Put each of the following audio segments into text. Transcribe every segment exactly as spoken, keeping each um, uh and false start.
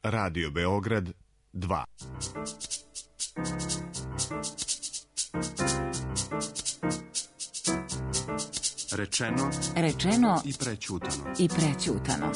Radio Beograd dva. Rečeno, rečeno i prećutano. I prećutano.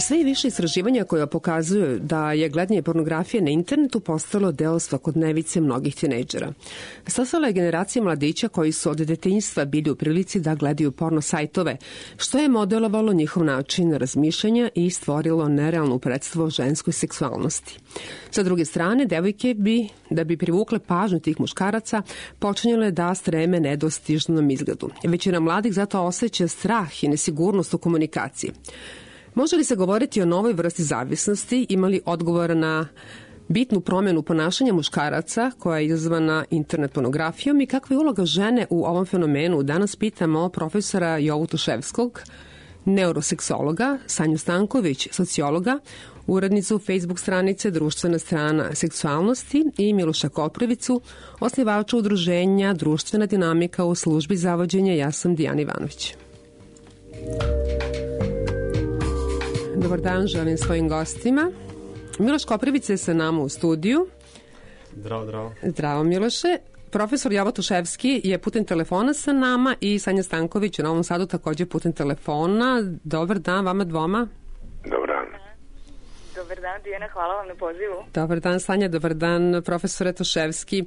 Sve i više istraživanja koja pokazuju da je gledanje pornografije na internetu postalo deo svakodnevice mnogih tinejdžera. Stasala je generacija mladića koji su od detinjstva bili u prilici da gledaju porno sajtove, što je modelovalo njihov način razmišljanja i stvorilo nerealnu predstavu o ženskoj seksualnosti. Sa druge strane, devojke bi, da bi privukle pažnju tih muškaraca, počinjale da streme nedostižnom izgledu. Većina mladih zato osjeća strah i nesigurnost u komunikaciji. Može li se govoriti o novoj vrsti zavisnosti? Ima li odgovor na bitnu promjenu ponašanja muškaraca koja je izazvana internet pornografijom i kakva je uloga žene u ovom fenomenu? Danas pitamo profesora Jovu Tuševskog, neuroseksologa, Sanju Stanković, sociologa, urednicu Facebook stranice Društvena strana seksualnosti i Miloša Koprivicu, osnivača udruženja Društvena dinamika u službi zavođenja. Ja sam Dijana Ivanović. Dobar dan, želim svojim gostima. Miloš Koprivica je sa nama u studiju. Zdravo, zdravo. Zdravo, Miloše. Profesor Jovo Tuševski je putem telefona sa nama i Sanja Stanković u Novom Sadu također putem telefona. Dobar dan vama dvoma. Dobar dan. Dobar dan, Dijana, hvala vam na pozivu. Dobar dan, Sanja, dobar dan, profesore Tuševski.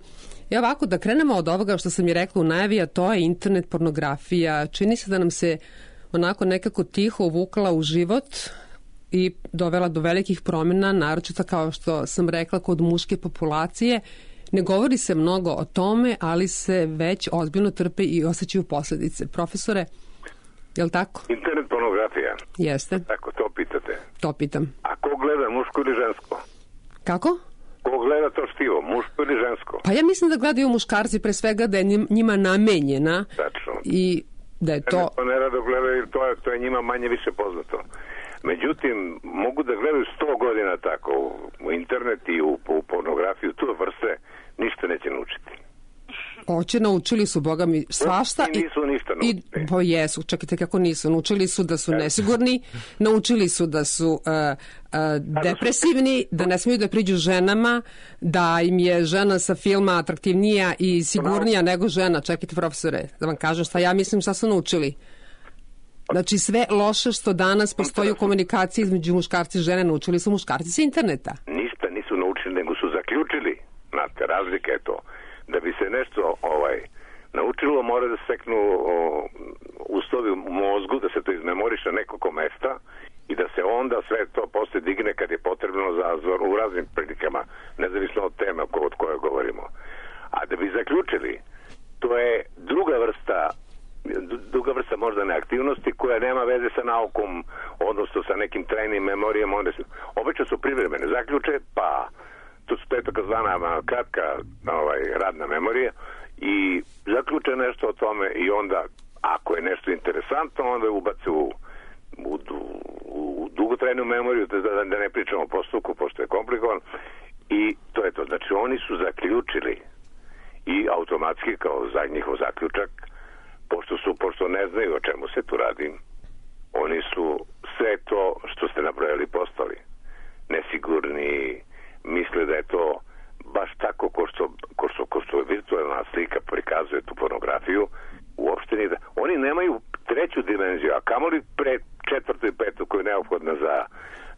I ovako, da krenemo od ovoga što sam je rekla u najavi, a to je internet pornografija. Čini se da nam se onako nekako tiho uvukla u život i dovela do velikih promjena, naročito kao što sam rekla kod muške populacije. Ne govori se mnogo o tome, ali se već ozbiljno trpe i osjećaju posljedice. Profesore, je li tako? Internet pornografija? Jeste. Tako, to pitate? To pitam. A ko gleda, muško ili žensko? Kako? Ko gleda to štivo, muško ili žensko? Pa ja mislim da gledaju muškarci pre svega, da je njima namenjena. Tačno. I da je to... Ne, ne rado gledaju, to je, to je njima manje više poznato. Međutim, mogu da gledaju sto godina tako u internet i u, u pornografiju, tu vrste ništa neće naučiti. Oće, naučili su, Boga mi, svašta. I nisu ništa naučili. I, pa jesu, čekajte kako nisu. Naučili su da su nesigurni, naučili su da su uh, uh, depresivni, da ne smiju da priđu ženama, da im je žena sa filma atraktivnija i sigurnija nego žena. Čekajte, profesore, da vam kažem šta ja mislim šta su naučili. Znači sve loše što danas postoji u komunikaciji između muškarci i žene naučili su muškarci sa interneta. Ništa nisu naučili, nego su zaključili. Znate, razlika je to. Da bi se nešto ovaj naučilo, mora da se steknu uslovi u mozgu, da se to izmemoriše nekoliko mesta i da se onda sve to posle digne kad je potrebno za u raznim prilikama, nezavisno od teme od koje govorimo. A da bi zaključili, to je druga vrsta druga vrsta možda neaktivnosti koja nema veze sa naukom, odnosno sa nekim trajnim memorijama. Obično su privremene zaključe, pa to su to takozvana kratka ovaj, radna memorija i zaključe nešto o tome i onda, ako je nešto interesantno, onda ubace u, u, u dugotrajnu memoriju, da, da ne pričamo o postupku, pošto je komplikovan, i to je to. Znači, oni su zaključili i automatski kao za njihov zaključak, pošto su, pošto ne znaju o čemu se tu radi, oni su sve to što ste nabrojali postali nesigurni, misle da je to baš tako ko što, ko što, ko što virtualna slika prikazuje tu pornografiju. Uopšte nije da... Oni nemaju treću dimenziju, a kamoli pre četvrtu i petu koju je neophodna za,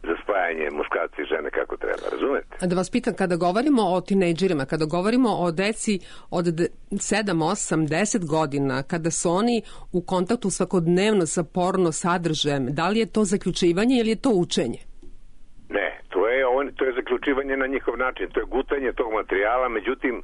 za spajanje muškarci i žene kako treba, razumete? Da vas pitam, kada govorimo o tinejdžerima, kada govorimo o deci od sedam, osam, deset godina, kada su oni u kontaktu svakodnevno sa porno sadržajem, da li je to zaključivanje ili je to učenje? Ne, to je, on, to je zaključivanje na njihov način, to je gutanje tog materijala, međutim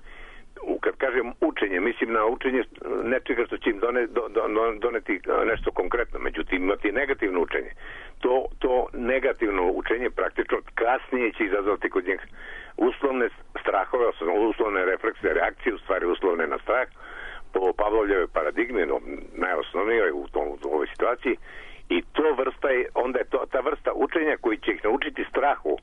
kad kažem učenje, mislim na učenje nečega što će im done, do, do, doneti nešto konkretno. Međutim, imati negativno učenje. To, to negativno učenje praktično kasnije će izazvati kod njih uslovne strahove, uslovne refleksne reakcije, u stvari uslovne na strah, po Pavlovljevoj paradigmi, no, najosnovnijoj u, tom, u ovoj situaciji, i to vrsta je, onda je to, ta vrsta učenja koji će ih naučiti strahu,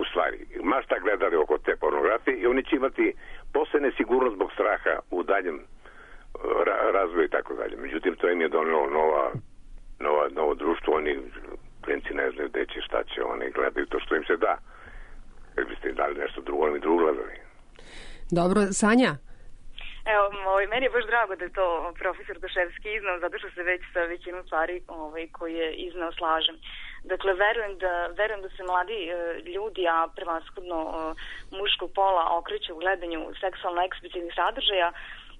u stvari, ma šta gledali oko te pornografije, i oni će imati posle nesigurnost zbog straha u daljem ra- razvoju i tako dalje. Međutim, to im je donelo nova, nova, novo društvo, oni klinci ne znaju gde će, šta će, oni gledaju to što im se da. Kad biste im dali nešto drugo, oni drugo gledali. Dobro, Sanja? Evo, ovaj, meni je baš drago da je to profesor Toševski iznao, zato što se već sa većinom stvari ovaj, koji je iznao slažem. Dakle, verujem da, verujem da se mladi e, ljudi, a prevashodno e, muškog pola, okreće u gledanju seksualno eksplicitnih sadržaja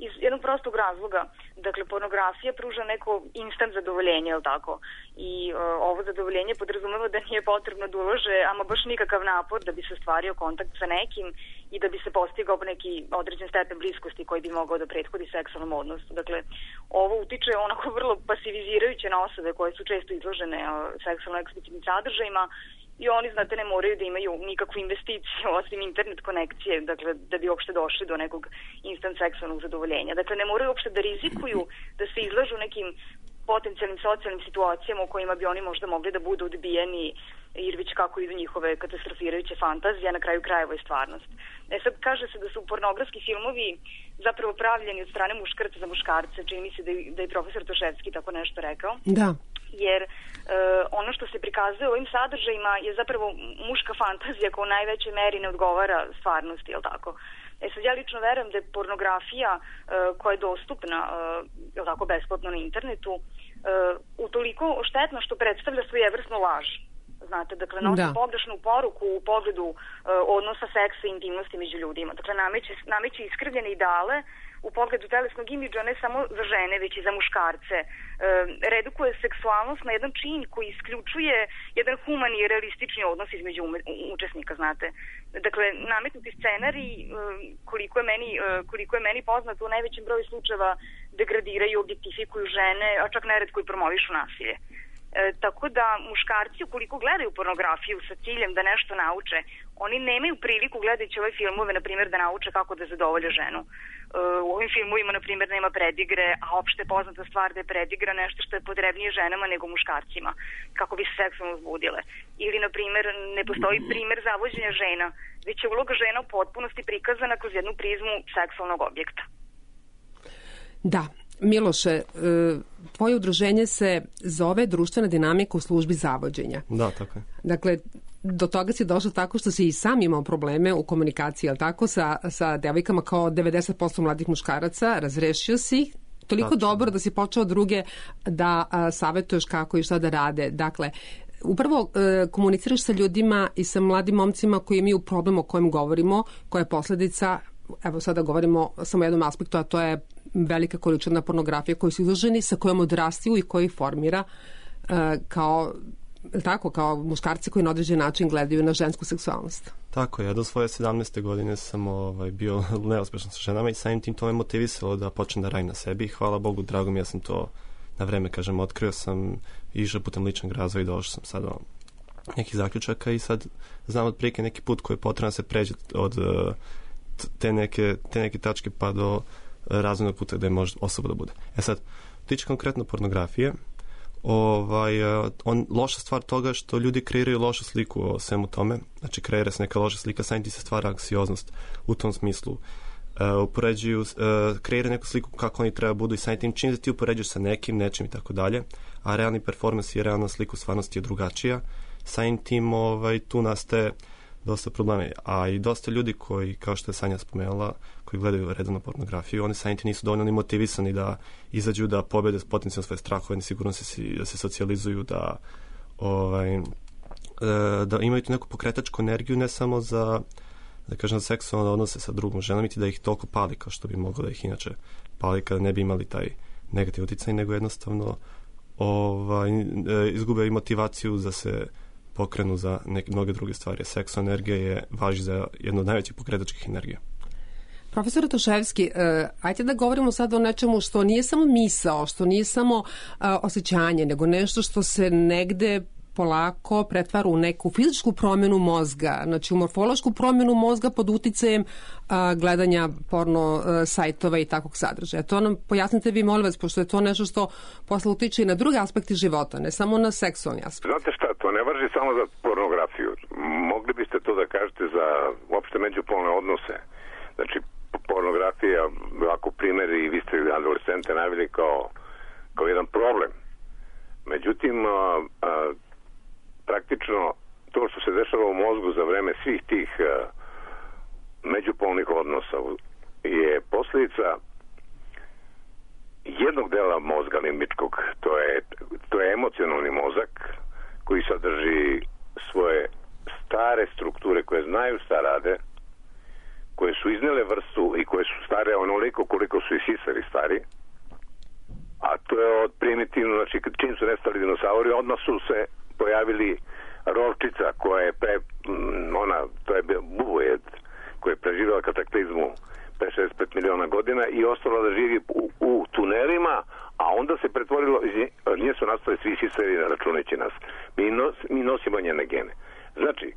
iz jednog prostog razloga. Dakle, pornografija pruža neko instant zadovoljenje, je li tako? I e, ovo zadovoljenje podrazumeva da nije potrebno da ulože ama baš nikakav napor da bi se stvario kontakt sa nekim i da bi se postigao neki određen stepen bliskosti koji bi mogao da prethodi seksualnom odnosu. Dakle, ovo utiče onako vrlo pasivizirajuće na osobe koje su često izložene e, seksualno eksplicitnim sadržajima, i oni, znate, ne moraju da imaju nikakvu investiciju osim internet konekcije, dakle, da bi uopšte došli do nekog instant seksualnog zadovoljenja. Dakle, ne moraju uopšte da rizikuju da se izlažu nekim potencijalnim socijalnim situacijama u kojima bi oni možda mogli da budu odbijeni, jer već kako idu njihove katastrofirajuće fantazije, a na kraju krajeva je stvarnost. E sad, kaže se da su pornografski filmovi zapravo pravljeni od strane muškarca za muškarce, čini mi se da je, da je profesor Toševski tako nešto rekao. Da. Jer e, ono što se prikazuje u ovim sadržajima je zapravo muška fantazija koja u najvećoj meri ne odgovara stvarnosti, je li tako? E sad, ja lično verujem da je pornografija e, koja je dostupna e, je li tako, besplatno na internetu e, utoliko štetna što predstavlja svojevrsnu laž. Znate, dakle, nosi da. pogrešnu poruku u pogledu e, odnosa seksa i intimnosti među ljudima. Dakle, nameće, nameće iskrivljene ideale u pogledu telesnog imidža ne samo za žene, već i za muškarce. E, redukuje seksualnost na jedan čin koji isključuje jedan humani i realistični odnos između ume, učesnika, znate. Dakle, nametnuti scenarij, e, koliko je meni, e, koliko je meni poznato, u najvećem broju slučajeva degradiraju i objektifikuju žene, a čak neretko i promovišu nasilje. E, tako da muškarci, ukoliko gledaju pornografiju sa ciljem da nešto nauče, oni nemaju priliku gledajući ove filmove, na primjer, da nauče kako da zadovolje ženu. E, u ovim filmovima, na primjer, nema predigre, a opšte je poznata stvar da je predigra nešto što je potrebnije ženama nego muškarcima, kako bi se seksualno uzbudile. Ili, na primjer, ne postoji primjer zavođenja žena, već je uloga žena u potpunosti prikazana kroz jednu prizmu seksualnog objekta. Da. Miloše, tvoje udruženje se zove Društvena dinamika u službi zavođenja. Da, tako je. Dakle, do toga si došao tako što si i sam imao probleme u komunikaciji, ali tako, sa, sa devojkama kao devedeset posto mladih muškaraca, razrešio si ih toliko Tačno. dobro da si počeo druge da a, savjetuješ kako i šta da rade. Dakle, upravo e, komuniciraš sa ljudima i sa mladim momcima koji imaju problem o kojem govorimo, koja je posledica, evo sada govorimo samo o jednom aspektu, a to je velika količina pornografije koju su izloženi, sa kojom odrastaju i koji formira uh, kao, tako, kao muškarci koji na određen način gledaju na žensku seksualnost. Tako je, ja do svoje sedamnaeste godine sam ovaj, bio neuspešan sa ženama i samim tim to me motivisalo da počnem da radim na sebi. Hvala Bogu, drago mi, ja sam to na vreme, kažem, otkrio sam, išao putem ličnog razvoja i došao sam sad do nekih zaključaka i sad znam otprilike neki put koji je potrebno da se pređe od te neke, te neke tačke pa do razvojnog puta gde može osoba da bude. E sad, tiče konkretno pornografije, ovaj, on, loša stvar toga što ljudi kreiraju lošu sliku o svemu tome, znači kreira se neka loša slika, samim tim se stvara anksioznost u tom smislu. Uh, upoređuju, uh, kreira neku sliku kako oni treba budu i samim tim čim da ti upoređuješ sa nekim, nečim i tako dalje, a realni performans i realna slika u stvarnosti je drugačija, samim tim ovaj, tu nastaje dosta problema, a i dosta ljudi koji, kao što je Sanja spomenula, koji gledaju redovno pornografiju, oni samim tim nisu dovoljno ni motivisani da izađu, da pobede potencijalno svoje strahove, nesigurno se, da se socijalizuju, da, ovaj, da imaju tu neku pokretačku energiju, ne samo za, da kažem, za seksualne odnose sa drugom ženom, niti da ih toliko pali kao što bi moglo da ih inače pali kada ne bi imali taj negativni uticaj, nego jednostavno ovaj, izgube i motivaciju da se pokrenu za neke mnoge druge stvari. Seksualna energija je važi za jednu od najvećih pokretačkih energija. Profesor Toševski, uh, ajde da govorimo sad o nečemu što nije samo misao, što nije samo uh, osjećanje, nego nešto što se negde polako pretvara u neku fizičku promjenu mozga, znači u morfološku promjenu mozga pod uticajem a, gledanja porno a, sajtova i takvog sadržaja. To nam pojasnite vi, molim vas, pošto je to nešto što posle utiče i na druge aspekte života, ne samo na seksualni aspekt. Znate šta, to ne važi samo za pornografiju. Mogli biste to da kažete za uopšte međupolne odnose. Znači, pornografija, ovako primjeri, i vi ste adolescente navili kao, kao jedan problem. Međutim, a, a, praktično to što se dešava u mozgu za vreme svih tih uh, međupolnih odnosa je posljedica jednog dela mozga limbičkog, to je, to je emocionalni mozak koji sadrži svoje stare strukture koje znaju šta rade, koje su iznele vrstu i koje su stare onoliko koliko su i sisari stari, a to je od primitivno, znači čim su nestali dinosauri, odmah su se pojavili rovčica koja je pre, ona, to je bubojed koja je preživjela kataklizmu pre šezdeset pet miliona godina i ostala da živi u, u tunelima, a onda se pretvorilo, iz nje su nastali svi sisari računajući nas. Mi, nos, mi nosimo njene gene. Znači,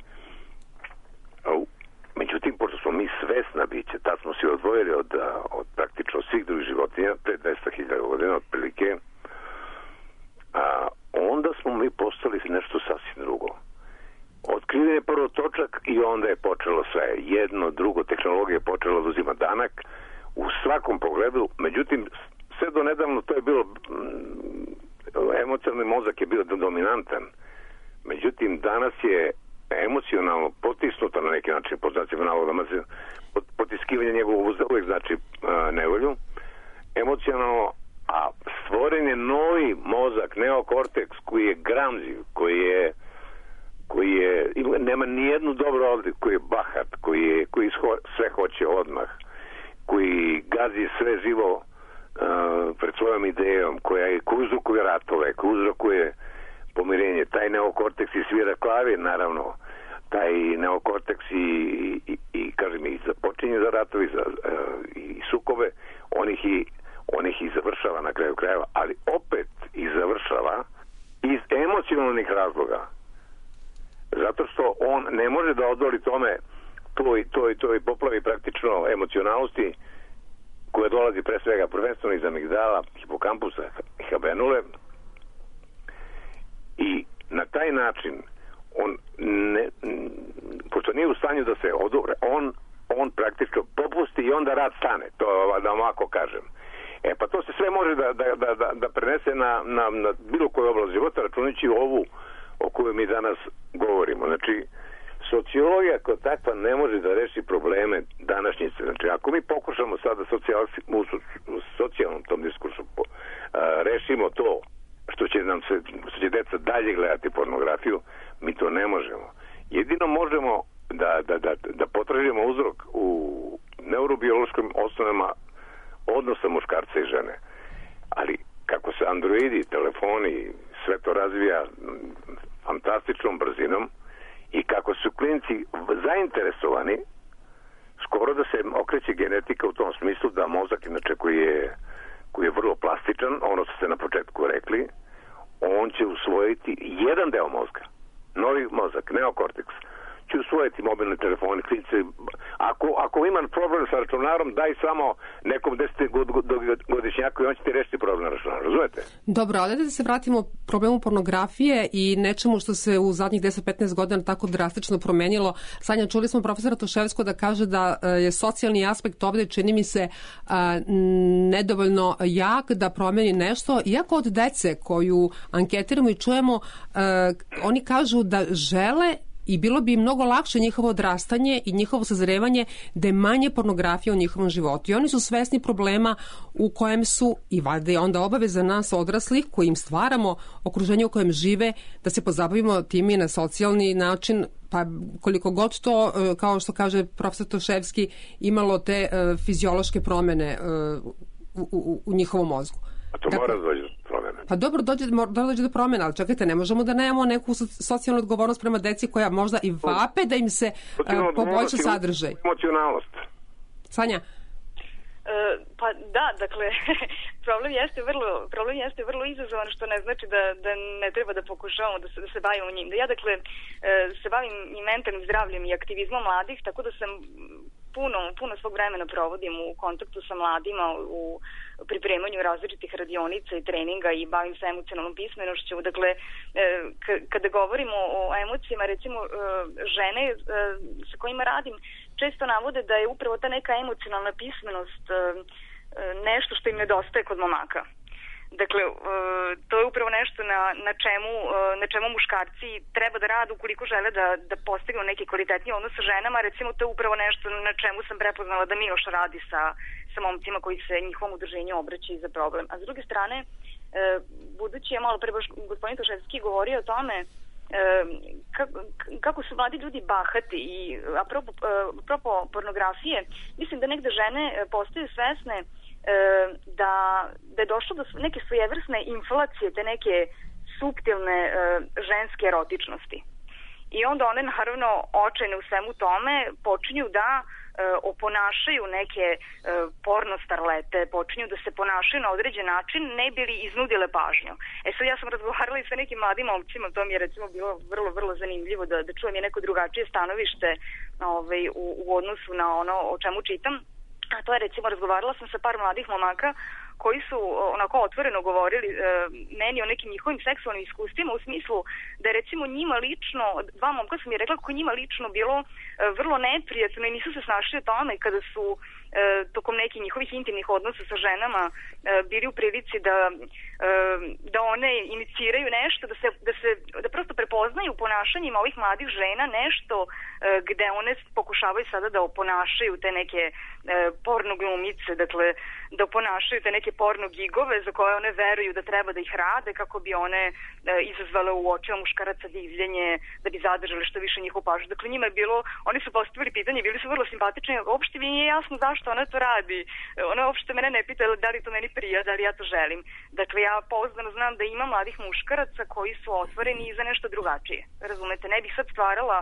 međutim, pošto smo mi svesna biće, tad smo se odvojili od, od praktično svih drugih životinja, pre dvesta hiljada godina otprilike, a onda smo mi postali nešto sasvim drugo. Otkriven je prvo točak i onda je počelo sve. Jedno, drugo, tehnologija je počela da uzima danak u svakom pogledu. Međutim, sve do nedavno to je bilo, emocionalni mozak je bio dominantan. Međutim, danas je emocionalno potisnuto na neki način, pod znacima navoda, potiskivanje njegovog uvek znači nevolju. Emocionalno, a stvoren je novi mozak, neokorteks, koji je gramziv, koji je, koji je, nema nijednu dobru odliku, koji je bahat, koji, je, koji sve hoće odmah, koji gazi sve živo uh, pred svojom idejom, koja je, koji uzrokuje ratove, koji uzrokuje pomirenje. Taj neokorteks i svira klavir, naravno, taj neokorteks i, i, i kažem, i započinje za ratovi, za, uh, i sukobe, on ih i on ih i završava na kraju krajeva, ali opet i završava iz emocionalnih razloga. Zato što on ne može da odoli tome toj, toj, toj poplavi praktično emocionalnosti koja dolazi pre svega prvenstveno iz amigdala, hipokampusa i habenule, i na taj način on ne, pošto nije u stanju da se odobre, on, on praktično popusti i onda rad stane, to da ovako kažem. E pa to se sve može da, da, da, da prenese na, na, na bilo koju oblast života, računajući ovu o kojoj mi danas govorimo. Znači, sociologija kao takva ne može da reši probleme današnjice. Znači, ako mi pokušamo sada socijal, u socijalnom tom diskursu po, a, rešimo to što će nam se, što će deca dalje gledati pornografiju, mi to ne možemo. Jedino možemo da, da, da, da potražimo uzrok u neurobiološkim osnovama odnosa muškarca i žene. Ali kako se androidi, telefoni, sve to razvija fantastičnom brzinom i kako su klinci zainteresovani, skoro da se okreće genetika u tom smislu da mozak, inače koji je, koji je vrlo plastičan, ono što ste na početku rekli, on će usvojiti jedan deo mozga, novi mozak, neokorteks, će usvojiti mobilni telefoni, klinci. Ako, ako imam problem sa računarom, daj samo nekom desetgodišnjaku i on će ti rešiti problem na računaru, razumete? Dobro, ali da se vratimo problemu pornografije i nečemu što se u zadnjih deset do petnaest godina tako drastično promenilo. Sanja, čuli smo profesora Toševsko da kaže da je socijalni aspekt ovde, čini mi se, nedovoljno jak da promeni nešto, iako od dece koju anketiramo i čujemo, oni kažu da žele i bilo bi mnogo lakše njihovo odrastanje i njihovo sazrevanje da je manje pornografije u njihovom životu. I oni su svesni problema u kojem su, i valjda je onda obaveza nas odraslih koji im stvaramo okruženje u kojem žive, da se pozabavimo tim i na socijalni način, pa koliko god to, kao što kaže profesor Toševski, imalo te uh, fiziološke promene uh, u, u, u njihovom mozgu. A to dakle, mora dođe do promjene. Pa dobro, dođe, mora dođe do promjena, ali čekajte, ne možemo da nemamo neku socijalnu odgovornost prema deci koja možda i vape da im se uh, poboljša sadržaj. Emocionalnost. Sanja? Pa da, dakle, problem jeste vrlo, problem jeste vrlo izazovan, što ne znači da, da ne treba da pokušavamo da se, da se bavimo njim. Da ja, dakle, se bavim i mentalnim zdravljem i aktivizmom mladih, tako da sam puno, puno svog vremena provodim u kontaktu sa mladima, u pripremanju različitih radionica i treninga i bavim se emocionalnom pismenošću. Dakle, kada govorimo o emocijama, recimo, žene sa kojima radim često navode da je upravo ta neka emocionalna pismenost nešto što im nedostaje kod momaka. Dakle, to je upravo nešto na, na, čemu, na čemu muškarci treba da rade ukoliko žele da, da postignu neki kvalitetniji odnos sa ženama. Recimo, to je upravo nešto na čemu sam prepoznala da Miloš radi sa, sa momcima koji se njihovom udruženju obraćaju za problem. A s druge strane, budući je malo pre gospodin Toševski govorio o tome Kako, kako su mladi ljudi bahati i apropo, apropo pornografije, mislim da negde žene postaju svesne da, da je došlo do neke svojevrsne inflacije, te neke suptilne ženske erotičnosti. I onda one naravno očajne u svemu tome počinju da oponašaju neke porno starlete, počinju da se ponašaju na određen način, ne bi li iznudile pažnju. E sad ja sam razgovarala i sa nekim mladim momcima, to mi je recimo bilo vrlo, vrlo zanimljivo da, da čujem je neko drugačije stanovište ovaj, u, u odnosu na ono o čemu čitam. A to je recimo, razgovarala sam sa par mladih momaka koji su onako otvoreno govorili e, meni o nekim njihovim seksualnim iskustvima, u smislu da je recimo njima lično, dva momka su mi rekla kako njima lično bilo e, vrlo neprijatno i nisu se snašli o tome kada su e, tokom nekih njihovih intimnih odnosa sa ženama e, bili u prilici da, e, da one iniciraju nešto, da se, da se da prosto prepoznaju u ponašanjima ovih mladih žena nešto e, gde one pokušavaju sada da oponašaju te neke e, porno glumice, dakle da oponašaju te neke porno gigove za koje one veruju da treba da ih rade kako bi one e, izazvale u očima muškaraca divljenje, da bi zadržali što više njihovu pažnju. Dakle, njima je bilo, oni su postavili pitanje, bili su vrlo simpatični, uopšte mi nije jasno zašto ona to radi. Ona uopšte mene ne pita da li to meni prija, da li ja to želim. Dakle, ja pouzdano znam da ima mladih muškaraca koji su otvoreni i za nešto drugačije. Razumete, ne bih sad stvarala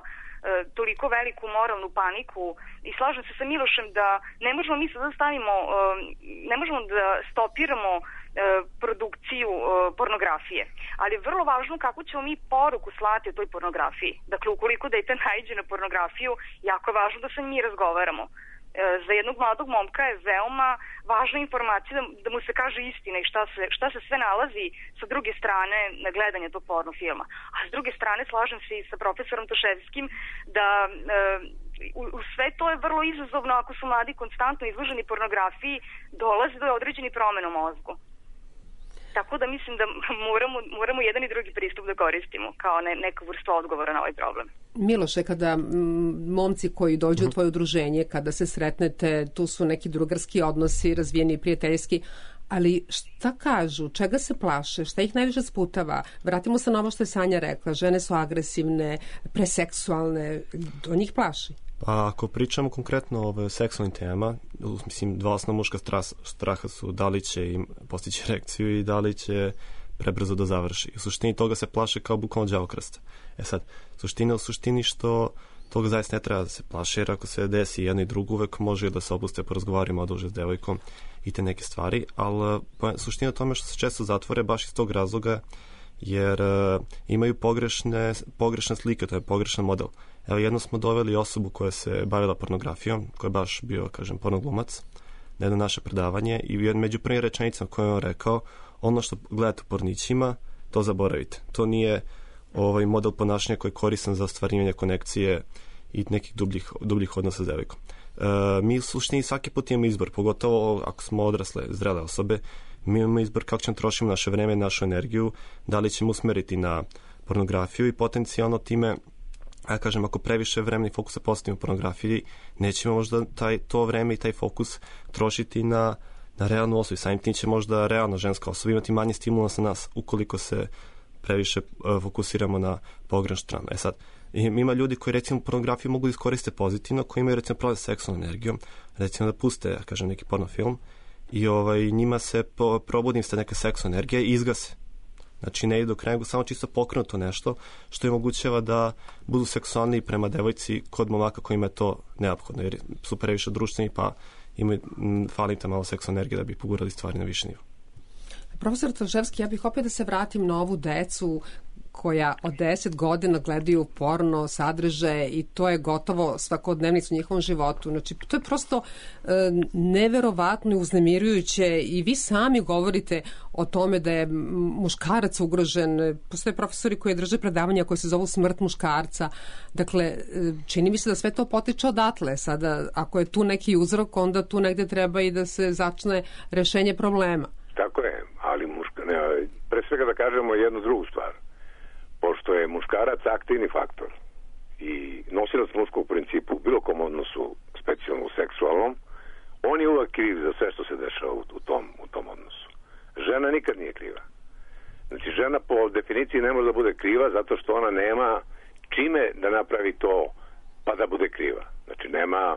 toliko veliku moralnu paniku i slažem se sa Milošem da ne možemo mi sad da stavimo, ne možemo da stopiramo produkciju pornografije, ali je vrlo važno kako ćemo mi poruku slati o toj pornografiji. Dakle, ukoliko dete naiđe na pornografiju, jako je važno da sa njim razgovaramo. Za jednog mladog momka je veoma važna informacija da, da mu se kaže istina i šta se, šta se sve nalazi sa druge strane na gledanje tog porno filma. A s druge strane slažem se i sa profesorom Toševskim da e, u, u sve to je vrlo izazovno ako su mladi konstantno izloženi pornografiji, dolazi do određenih promena u mozgu. Tako da mislim da moramo, moramo jedan i drugi pristup da koristimo kao ne, neku vrstu odgovora na ovaj problem. Miloše, kada m, momci koji dođu mm. u tvoje udruženje, kada se sretnete, tu su neki drugarski odnosi, razvijeni prijateljski, ali šta kažu, čega se plaše, šta ih najviše sputava? Vratimo se na ovo što je Sanja rekla, žene su agresivne, preseksualne, to njih plaši. Pa ako pričamo konkretno o seksualnim temama, mislim, dva osnovna muška straha su da li će im postići erekciju i da li će prebrzo da završi. U suštini toga se plaše kao bukvalno đavokrsta. E sad, suština u suštini što toga zaista ne treba da se plaše, jer ako se desi jedno i drugo, uvek može da se opuste, porazgovarimo oduže s devojkom i te neke stvari, ali suština tome što se često zatvore baš iz tog razloga, jer uh, imaju pogrešne, pogrešne slike, to je pogrešan model. Evo, jedno smo doveli osobu koja se bavila pornografijom, koja je baš bio, kažem, pornoglumac, na jedno naše predavanje i među prvim rečenicama koje je on rekao, ono što gledate u pornićima, to zaboravite. To nije ovaj model ponašanja koji je koristan za ostvarivanje konekcije i nekih dubljih, dubljih odnosa s devojkom. Uh, mi u suštini svaki put imamo izbor, pogotovo ako smo odrasle, zrele osobe, mi imamo izbor kako ćemo trošiti naše vreme, našu energiju, da li ćemo usmeriti na pornografiju i potencijalno time, ja kažem, ako previše vremena i fokusa postavimo u pornografiji, nećemo možda taj, to vreme i taj fokus trošiti na, na realnu osobu. Samim tim će možda realna ženska osoba imati manje stimulans na nas ukoliko se previše uh, fokusiramo na pogrešnu stranu. E sad, ima ljudi koji recimo pornografiju mogu iskoriste pozitivno, koji imaju recimo problem s seksualnom energijom, recimo da puste, ja kažem, neki porno film i ovaj, njima se po, probudim se neka seksualna energija i izgase. Znači ne idu do kraja, nego samo čisto pokrenuto nešto što im omogućava da budu seksualniji prema devojci kod momaka kojima je to neophodno, jer su previše društveni pa imaju, fali ta malo seksualna energija da bi pogurali stvari na više nivo. Profesor Trževski, ja bih opet da se vratim na ovu decu koja od deset godina gledaju porno sadržaje i to je gotovo svakodnevnica u njihovom životu. Znači, to je prosto e, neverovatno i uznemirujuće i vi sami govorite o tome da je muškarac ugrožen. Postoje profesori koji drže predavanja koje se zovu smrt muškarca. Dakle, čini mi se da sve to potiče odatle. Sada, ako je tu neki uzrok, onda tu negde treba i da se začne rešenje problema. Tako je, ali muška, ne, pre svega da kažemo jednu drugu stvar. Pošto je muškarac aktivni faktor i nosilac muškog principu u bilo kom odnosu, specijalno u seksualnom, on je uvek kriv za sve što se dešava u, u, tom, u tom odnosu. Žena nikad nije kriva. Znači, žena po definiciji ne može da bude kriva zato što ona nema čime da napravi to pa da bude kriva. Znači, nema,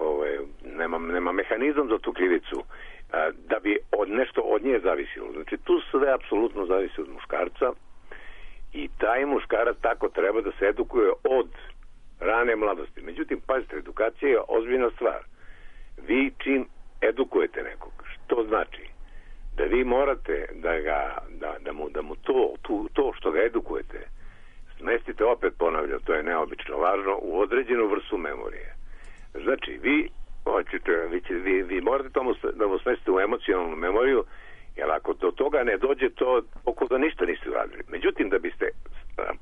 ove, nema, nema mehanizam za tu krivicu da bi od nešto od nje zavisilo. Znači, tu sve apsolutno zavisi od muškarca. I taj muškarac tako treba da se edukuje od rane mladosti. Međutim, pazite, edukacija je ozbiljna stvar. Vi čim edukujete nekog, što znači? Da vi morate da, ga, da, da mu, da mu to, tu, to što ga edukujete smestite, opet ponavljam, to je neobično važno, u određenu vrstu memorije. Znači, vi, hoćete, vi, vi, vi morate tomu da mu smestite u emocionalnu memoriju, jer ako do toga ne dođe, to oko da ništa niste uradili. Međutim, da biste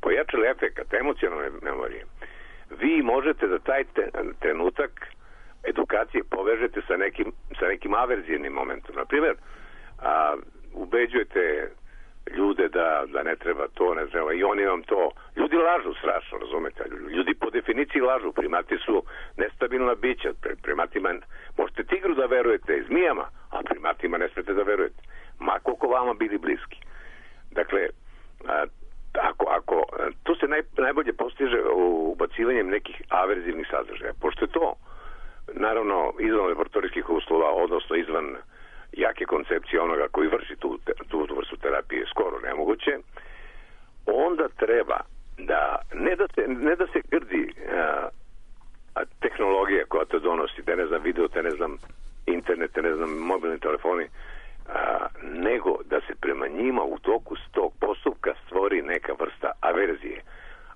pojačali efekat emocionalne memorije, vi možete da taj trenutak edukacije povežete sa nekim, sa nekim averzivnim momentom. Naprimjer, a, ubeđujete ljude da, da ne treba to, ne treba, i oni vam to... Ljudi lažu strašno, razumete? Ljudi po definiciji lažu. Primati su nestabilna bića. Primatima možete tigru da verujete, zmijama, a primatima ne smete da verujete. Ma koliko vama bili bliski. Dakle, a, ako, ako, to se naj, najbolje postiže ubacivanjem nekih averzivnih sadržaja. Pošto je to, naravno, izvan laboratorijskih uslova, odnosno izvan jake koncepcije onoga koji vrši tu, tu vrstu terapije skoro nemoguće, onda treba da ne da se, ne da se grdi a, a tehnologija koja to donosi, te ne znam video, te ne znam internet, te ne znam mobilni telefoni, a, nego da se prema njima u toku tog postupka stvori neka vrsta averzije.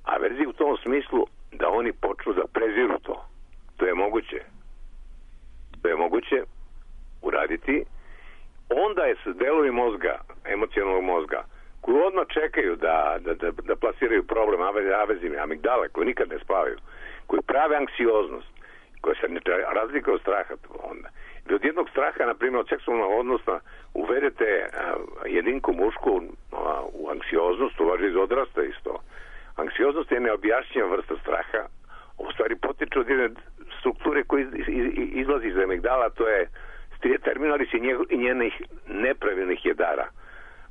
Averzije u tom smislu da oni počnu da preziru to. To je moguće. To je moguće uraditi. Onda je s delovi mozga, emocionalnog mozga, koji odmah čekaju da, da, da, da plasiraju problem averzivne amigdale, koji nikad ne spavaju, koji prave anksioznost, koja se ne razlika od straha onda. Vi od jednog straha, na primjer, od seksualnog odnosa, uvedete a, jedinku mušku a, u anksioznost, to važi iz odrasta isto. Anksioznost je neobjašnjiva vrsta straha, u stvari potiče od jedne strukture koja iz, iz, izlazi iz amigdala, to je terminalis i njenih nepravilnih jedara.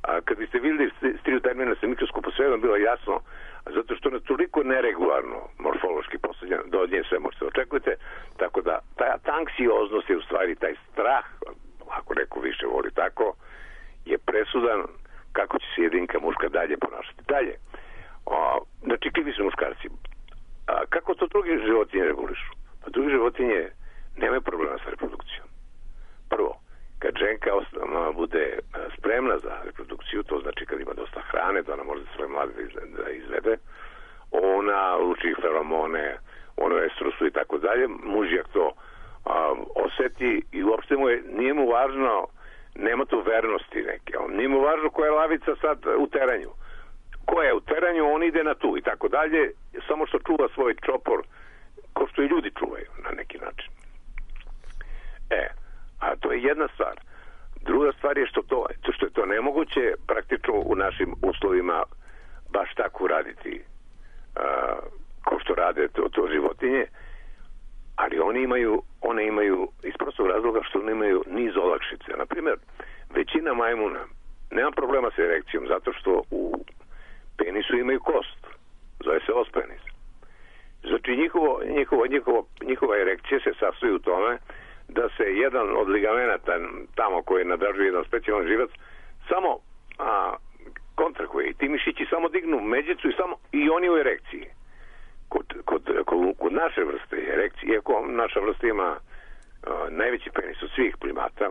A kad biste vidjeli striju terminala sa mikroskopu, sve vam bilo jasno, zato što je toliko neregularno morfološki postavljeno, da od nje sve možete očekujete, tako da ta, ta anksioznost je u stvari taj strah, ako neko više voli tako, je presudan kako će se jedinka muška dalje ponašati. Dalje, o, znači krivi su muškarci. A, kako to drugi životinje regulišu? Pa drugi životinje nemaju problema sa reprodukcijom. Prvo, kad ženka bude spremna za reprodukciju, to znači kad ima dosta hrane, da ona može svoje mlade da izvede, ona luči feromone, ono estrosu i tako dalje, mužjak to a, oseti i uopšte mu je, nije mu važno, nema tu vernosti neke, on, nije mu važno koja je lavica sad u teranju. Koja je u teranju, on ide na tu i tako dalje, samo što čuva svoj čopor, ko što i ljudi čuvaju na neki način. E, a to je jedna stvar. Druga stvar je što, to, što je to nemoguće praktično u našim uslovima baš tako raditi a, kao što rade to, to životinje, ali oni imaju, one imaju iz prostog razloga što one imaju niz olakšice. Naprimjer, većina majmuna nema problema sa erekcijom zato što u penisu imaju kost. Zove se ospenis. Znači njihovo, njihovo, njihovo, njihova erekcija se sastoji u tome da se jedan od ligamenata tamo koji nadražuje jedan specijalan živac samo a, kontrakuje i ti mišići samo dignu međicu i, samo, i oni u erekciji. Kod, kod, kod, kod naše vrste erekcije, iako naša vrsta ima najveći penis od svih primata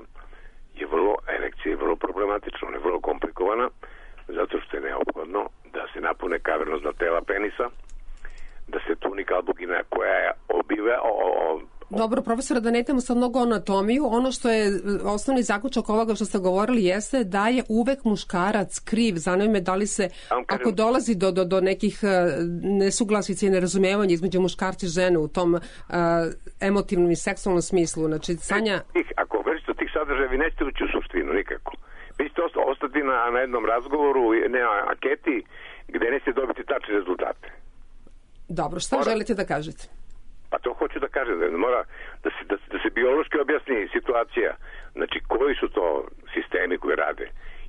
je vrlo, erekcija je vrlo problematična, ona je vrlo komplikovana, zato što je neophodno da se napune kavernozna tela penisa, da se tunika albugina koja je obive... O, o, Dobro, profesora, da ne idemo sad mnogo anatomiju, ono što je osnovni zaključak ovoga što ste govorili jeste da je uvek muškarac kriv. Zanima me da li se, kažem, ako dolazi do, do, do nekih nesuglasica i nerazumevanja između muškarca i žene u tom uh, emotivnom i seksualnom smislu, znači Sanja... Ako vršite tih sadržaja, vi nećete ući u suštinu, nikako. Vi ćete ostati na, na jednom razgovoru, ne na anketi, gde nećete dobiti tačne rezultate. Dobro, šta Mora... želite da kažete? Pa to hoću da kažem, da mora da se, da, da se biološki objasni situacija, znači koji su to sistemi koji rade.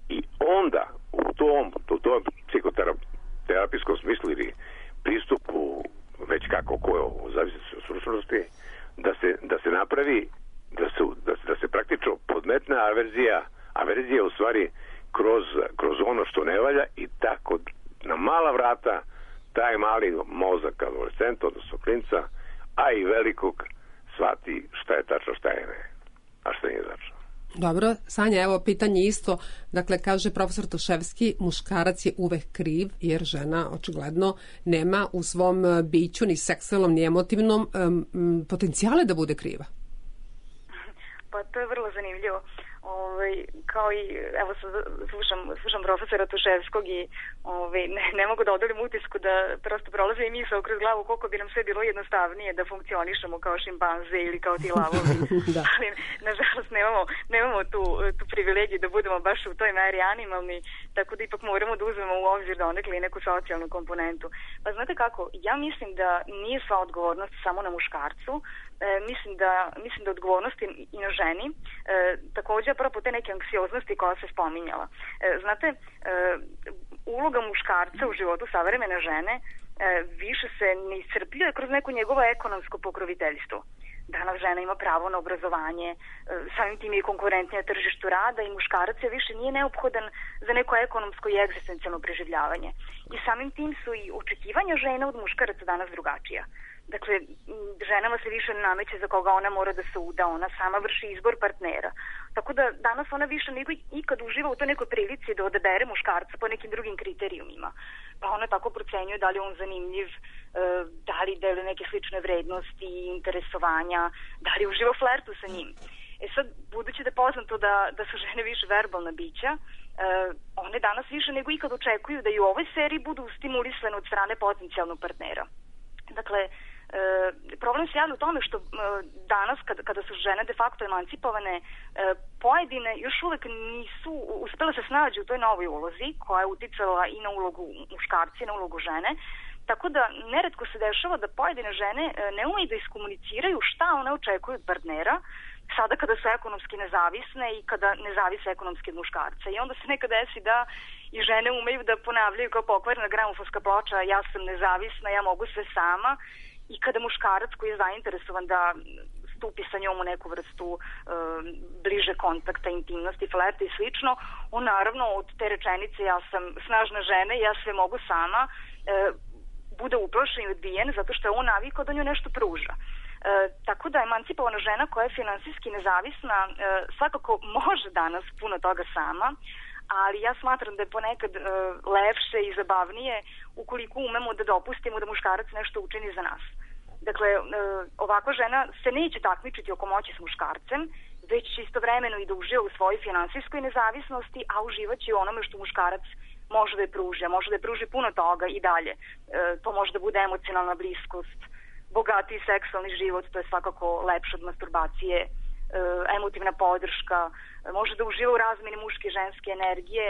I onda u tom, u tom psihoterapijskom smislu ili pristupu, već kako koje, u zavisnosti od stručnosti, da se, da se napravi, da se, da se, da se praktično podmetne averzija, averzija u stvari kroz, kroz ono što ne valja i tako na mala vrata taj mali mozak adolescenta, odnosno klinca, a i velikog shvati šta je tačno, šta je ne, a šta nije tačno. Dobro, Sanja, evo pitanje isto. Dakle, kaže profesor Toševski, muškarac je uvek kriv jer žena očigledno nema u svom biću ni seksualnom ni emotivnom um, potencijale da bude kriva. Pa to je vrlo zanimljivo. Ovaj, kao i, evo sad slušam, slušam profesora Toševskog i ovaj, ne, ne mogu da odolim utisku da prosto prolaze i misao kroz glavu koliko bi nam sve bilo jednostavnije da funkcionišemo kao šimpanze ili kao ti lavovi. Da. Ali nažalost nemamo, nemamo tu, tu privilegiju da budemo baš u toj meri animalni, tako da ipak moramo da uzmemo u obzir da onekli i neku socijalnu komponentu. Pa znate kako, ja mislim da nije sva odgovornost samo na muškarcu, e, mislim da mislim da odgovornost i na ženi, e, također apropo te neke anksioznosti koja se spominjala. E, znate, e, uloga muškarca u životu savremene žene e, više se ne iscrpljuje kroz neko njegovo ekonomsko pokroviteljstvo. Danas žena ima pravo na obrazovanje, e, samim tim je konkurentnija tržištu rada i muškarac je više nije neophodan za neko ekonomsko i egzistencijalno preživljavanje. I samim tim su i očekivanja žena od muškaraca danas drugačija. Dakle, ženama se više nameće za koga ona mora da se uda, ona sama vrši izbor partnera. Tako da danas ona više nego ikad uživa u toj nekoj prilici da odabere muškarca po nekim drugim kriterijumima. Pa ona tako procenjuje da li je on zanimljiv, da li deluje neke slične vrednosti, interesovanja, da li uživa u flertu sa njim. E sad, budući da je poznato da, da su žene više verbalna bića, one danas više nego ikad očekuju da i u ovoj seriji budu stimulisane od strane potencijalnog partnera. Dakle, E, problem se javlja u tome što e, danas kada, kada su žene de facto emancipovane, e, pojedine još uvek nisu uspjele se snađi u toj novoj ulozi koja je uticala i na ulogu muškarci i na ulogu žene, tako da neretko se dešava da pojedine žene e, ne umeju da iskomuniciraju šta one očekuju od partnera sada kada su ekonomski nezavisne i kada ne zavise ekonomski od muškarca. I onda se nekad desi da i žene umeju da ponavljaju kao pokvarena gramofonska ploča, ja sam nezavisna, ja mogu sve sama. I kada muškarac koji je zainteresovan da stupi sa njom u neku vrstu e, bliže kontakta, intimnosti, flerta i slično, on naravno od te rečenice ja sam snažna žena i ja sve mogu sama, e, bude uplašen i odbijen zato što je on navikao da nju nešto pruža. E, tako da emancipovana žena koja je finansijski nezavisna e, svakako može danas puno toga sama, ali ja smatram da je ponekad e, lepše i zabavnije ukoliko umemo da dopustimo da muškarac nešto učini za nas. Dakle, e, ovakva žena se neće takmičiti oko moći s muškarcem, već će istovremeno i da uživa u svojoj finansijskoj nezavisnosti, a uživaće i onome što muškarac može da je pruži, može da je pruži puno toga i dalje. E, to može da bude emocionalna bliskost, bogatiji seksualni život, to je svakako lepše od masturbacije, e, emotivna podrška, može da uživa u razmeni muške i ženske energije,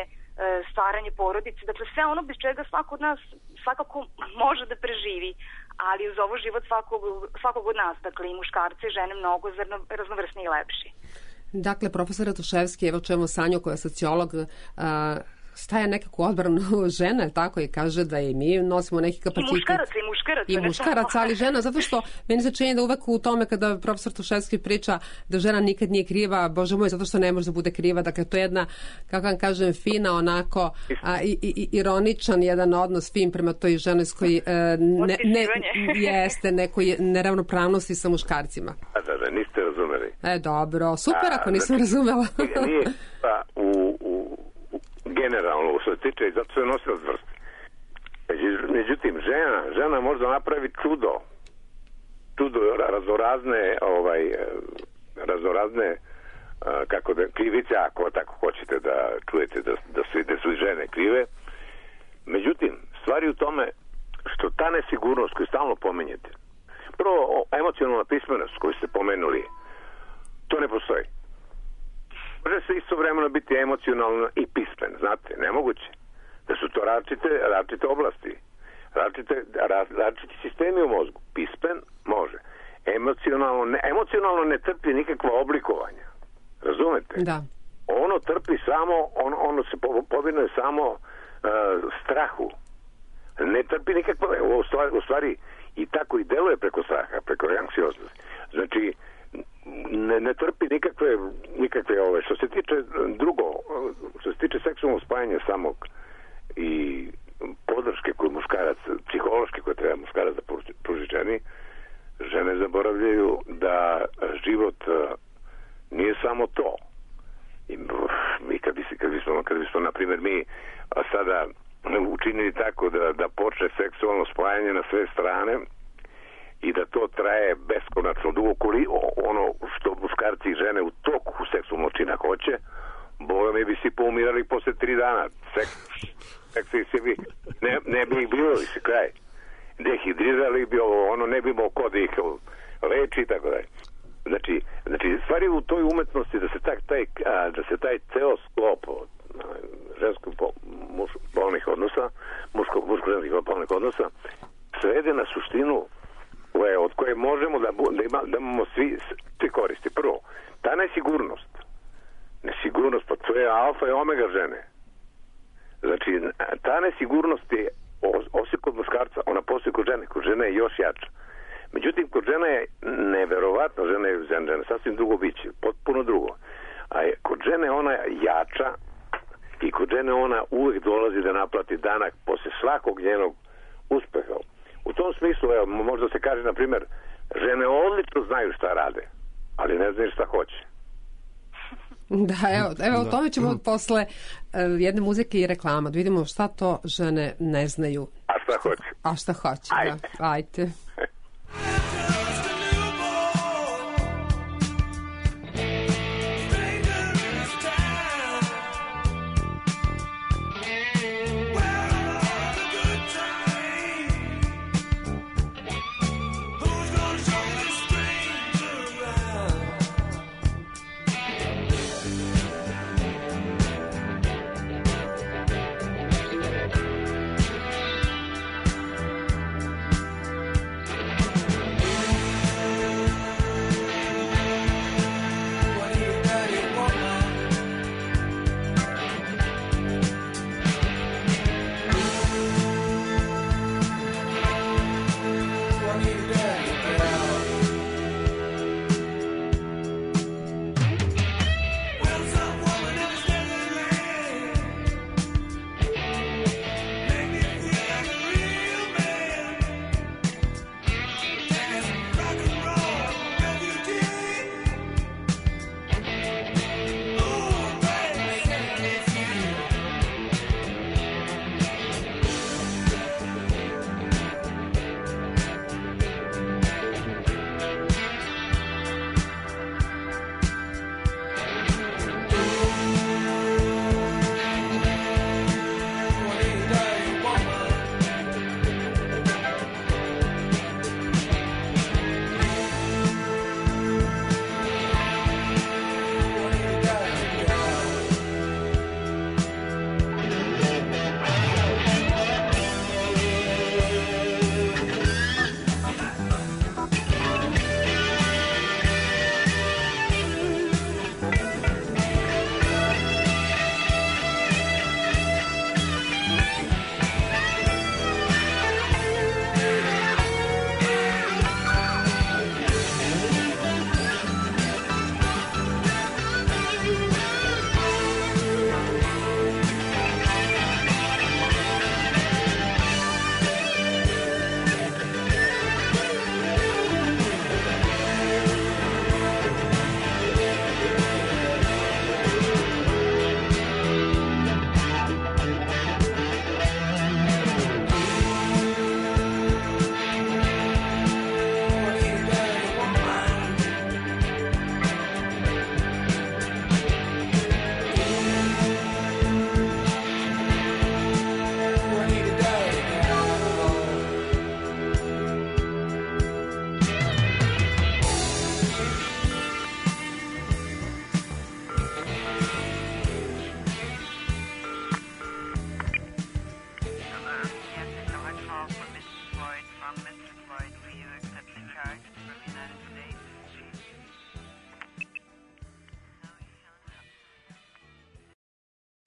stvaranje porodice, dakle sve ono bez čega svako od nas svakako može da preživi, ali uz ovo život svakog, svakog od nas, dakle i muškarce i žene mnogo raznovrsniji i lepši. Dakle, profesora Toševski, evo čujemo Sanju koja je sociolog, a, staje nekako odbranu žene, tako, i kaže da i mi nosimo neki kapacitet. I muškaraca, i muškaraca. I muškaraca, ali žena, zato što meni se čini da uvek u tome kada profesor Toševski priča da žena nikad nije kriva, bože moj, zato što ne može da bude kriva, dakle to je jedna, kako vam kažem, fina, onako a, i, i, ironičan jedan odnos fin prema toj ženskoj e, ne, ne, jeste nekoj neravnopravnosti sa muškarcima. Da, da, da, niste razumeli. razumeli. E, dobro, super ako nisam znači, razumela. Nije pa, u, u, u, generalno, što se tiče, zato se nosila zvrst. Međutim, žena, žena može da napravi čudo. Čudo, razorazne, ovaj, razorazne, kako da, krivice, ako tako hoćete da čujete da, da, su, da su i žene krive. Međutim, stvari u tome što ta nesigurnost koju stalno pomenjete, prvo, emocionalna pismenost koju ste pomenuli, to ne postoji. Može se istovremeno biti emocionalno i pismen, znate, nemoguće. Da su to različite, različite oblasti, različite, različiti sistemi u mozgu. Pismen može. Emocionalno ne, emocionalno ne trpi nikakva oblikovanja. Razumete? Da. Ono trpi samo, on, ono se povinuje samo uh, strahu. Ne trpi nikakva, u stvari, u stvari i tako i deluje preko straha, preko anksioznosti. Znači, ne, ne trpi nikakve, nikakve ove, što se tiče drugo, što se tiče seksualnog spajanja samog i podrške koju muškarac, psihološke koje treba muškarac da pruži ženi, žene zaboravljaju da život nije samo to. I mi kad, bi, kad bismo, kad bismo, na primjer, mi sada učinili tako da, da počne seksualno spajanje na sve strane i da to traje beskonačno dugo, ono što muškarci i žene u toku seksualnog čina hoće, boga mi bi si poumirali posle tri dana. Seks, seks i bi, ne, ne bi ih bilo, se kraj. Dehidrirali bi ovo, ono, ne bi imao ko da ih leči i tako dalje. Znači, znači, stvari u toj umetnosti da se taj, taj, a, da se taj ceo sklop ženskog muš, polnih odnosa, muško, muško-ženskih polnih odnosa, svede na suštinu koje, od koje možemo da, da, ima, da imamo svi, svi koristi. Prvo, ta nesigurnost, nesigurnost, pa to je alfa i omega žene. Znači, ta nesigurnost je osim kod muškarca, ona postoji kod žene, kod žene je još jača. Međutim, kod žene je neverovatno, žena je žena, sasvim drugo biće, potpuno drugo. A je, kod žene ona je jača i kod žene ona uvijek dolazi da naplati danak posle svakog njenog uspeha. U tom smislu, evo, možda se kaže, na primjer, žene odlično znaju šta rade, ali ne znaju šta hoće. Da, evo, evo o tome ćemo posle uh, jedne muzike i reklama, da vidimo šta to žene ne znaju. A šta hoće? A šta hoće, Ajde. Da. Ajde.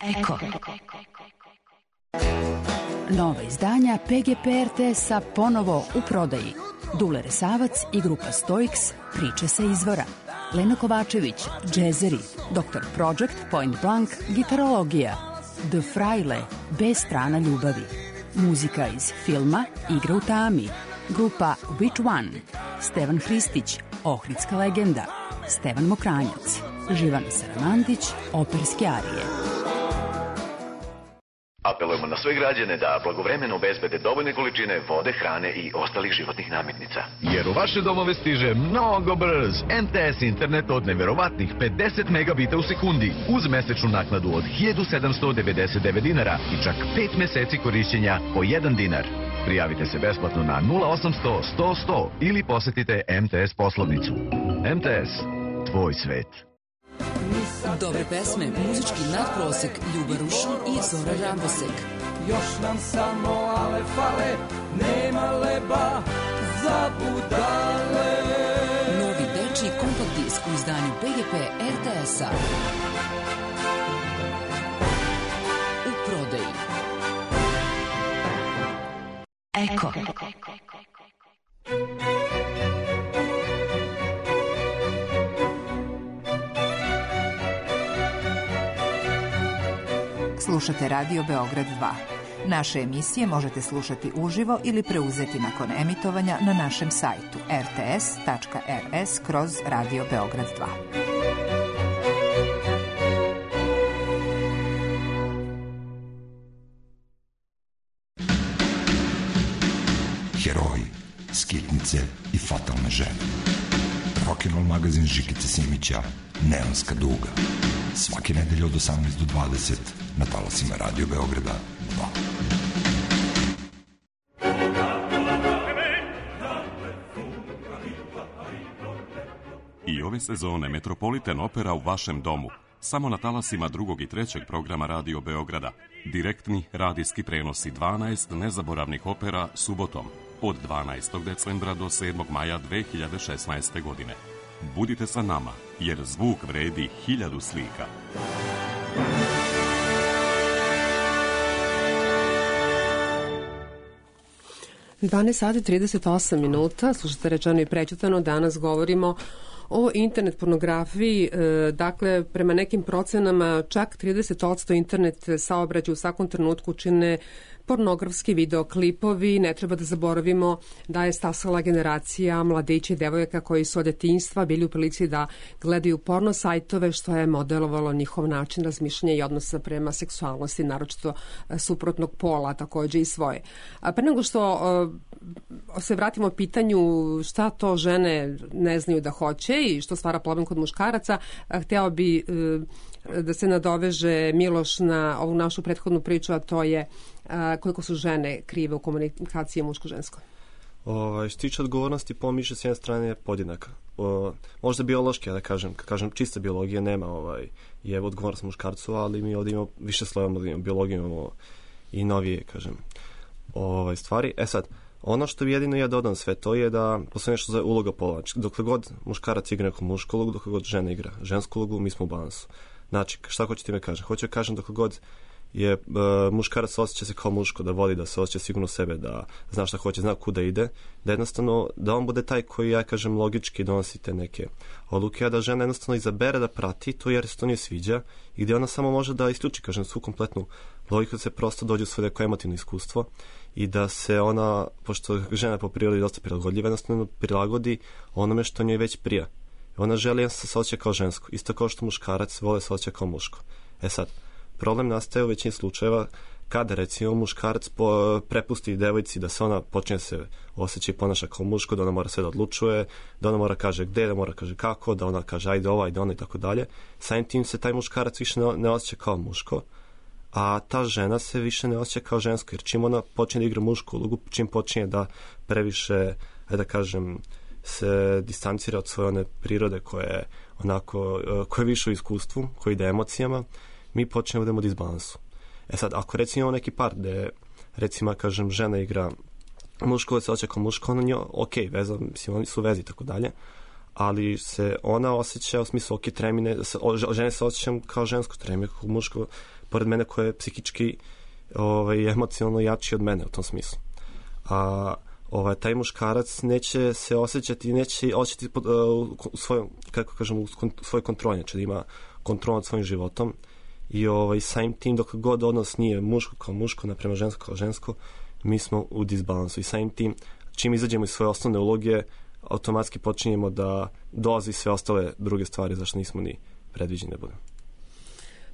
Eko. Nova izdanja P G P R T S-a ponovo u prodaji. Dule Resavac i grupa Stoiks, priče sa izvora. Lena Kovačević, džezeri. doktor Project, Point Blank, gitarologija. The Fraile, B strana ljubavi. Muzika iz filma Igra u tami. Grupa Which One. Stevan Hristić, Ohridska legenda. Stevan Mokranjac. Živana Saramandić, operske arije. Apelujemo na sve građane da blagovremeno obezbede dovoljne količine vode, hrane i ostalih životnih namirnica. Jer u vaše domove stiže mnogo brz M T S internet od neverovatnih pedeset megabita u sekundi uz mesečnu naknadu od hiljadu sedamsto devedeset devet dinara i čak pet meseci korišćenja po jedan dinar. Prijavite se besplatno na nula osamsto sto sto ili posetite M T S poslovnicu. M T S, tvoj svet. Dobre pesme, muzički nadprosek, Ljuba Rušan i Zora Rambosek. Još nam samo ale fale, nema leba za budale. Novi dečiji kompakt disk u izdanju P G P R T S-a. U prodaji. Eko. Slušate Radio Beograd dva. Naše emisije možete slušati uživo ili preuzeti nakon emitovanja na našem sajtu r t s tačka r s kroz Radio Beograd dva. Heroji, skitnice i fatalne žene. Rock'n'roll magazin Žikice Simića, Neonska duga. Svake nedelje od osamnaest do dvadeset na talasima Radio Beograda dva. I ove sezone Metropolitan Opera u vašem domu. Samo na talasima drugog i trećeg programa Radio Beograda. Direktni radijski prenosi dvanaest nezaboravnih opera subotom od dvanaestog decembra do sedmog maja dve hiljade šesnaeste. godine. Budite sa nama, jer zvuk vredi hiljadu slika. dvanaest sati trideset osam minuta, slušate Rečeno i prećutano, danas govorimo o internet pornografiji. Dakle, prema nekim procenama čak trideset posto internet saobraćaja u svakom trenutku čine pornografski videoklipovi. Ne treba da zaboravimo da je stasala generacija mladića i devojaka koji su od detinjstva bili u prilici da gledaju porno sajtove, što je modelovalo njihov način razmišljanja i odnosa prema seksualnosti, naročito suprotnog pola, takođe i svoje. A pre nego što se vratimo pitanju šta to žene ne znaju da hoće i što stvara problem kod muškaraca, hteo bi da se nadoveže Miloš na ovu našu prethodnu priču, a to je koliko su žene krive u komunikaciji muško-žensko. Ovaj, što tiče odgovornosti, pomiše s jedne strane podjednaka. O, možda biološki, ja da kažem, kad kažem čista biologija, nema ovaj, je odgovornost muškarcu, ali mi ovdje imamo više slojeva, imamo biologiju, imamo i novije, kažem, ovaj, stvari. E sad, ono što bi jedino ja dodam sve, to je da postoje nešto za uloga pola. Dokle god muškarac igra neku mušku ulogu, dokle god žena igra žensku ulogu, mi smo u balansu. Znači, šta hoću ti me kažem? Hoću da kažem dokle god je uh, muškarac osjeća se kao muško, da voli, da se osjeća sigurno sebe, da zna šta hoće, zna kuda ide, da jednostavno, da on bude taj koji, ja kažem, logički donosi te neke odluke, a da žena jednostavno izabere da prati to jer se to nije sviđa i gdje ona samo može da isključi, kažem, svu kompletnu logiku, da se prosto dođe u svoje neko emotivno iskustvo i da se ona, pošto žena po prirodi dosta prilagodljiva, jednostavno prilagodi onome što njoj već prija. Ona želi da se osjeća kao žensko, isto kao što muškarac vole se osjeća kao muško. E sad, problem nastaje u većini slučajeva kada, recimo, muškarac po, prepusti devojci da se ona počne se osjeća i ponaša kao muško, da ona mora sve da odlučuje, da ona mora kaže gde, da mora kaže kako, da ona kaže ajde ovo, ajde ono i tako dalje. Samim tim se taj muškarac više ne, ne osjeća kao muško, a ta žena se više ne osjeća kao žensko, jer čim ona počne da igra mušku ulogu, čim počinje da previše, ajde da kažem, se distancira od svoje one prirode koje je onako, koje je više u iskustvu, koje ide emocijama, mi počnemo da imamo disbalansu. E sad, ako recimo imamo neki par gde, recimo, kažem, žena igra muško, se osjeća kao muško, ona nje, ok, veza, mislim, oni su vezi i tako dalje, ali se ona osjeća u smislu, ok, tremine, žene se osjećam kao žensko, tremine kao muško, pored mene ko je psihički ovaj, emocionalno jači od mene u tom smislu. A ovaj, taj muškarac neće se osjećati, neće osjećati uh, u svojom, kako kažem, u svojoj kontroli, znači da ima kontrol nad svojim životom i ovaj, samim tim dok god odnos nije muško kao muško naprema žensko kao žensko, mi smo u disbalansu i samim tim čim izađemo iz svoje osnovne uloge automatski počinjemo da dolazi sve ostale druge stvari zašto nismo ni predviđeni da budemo.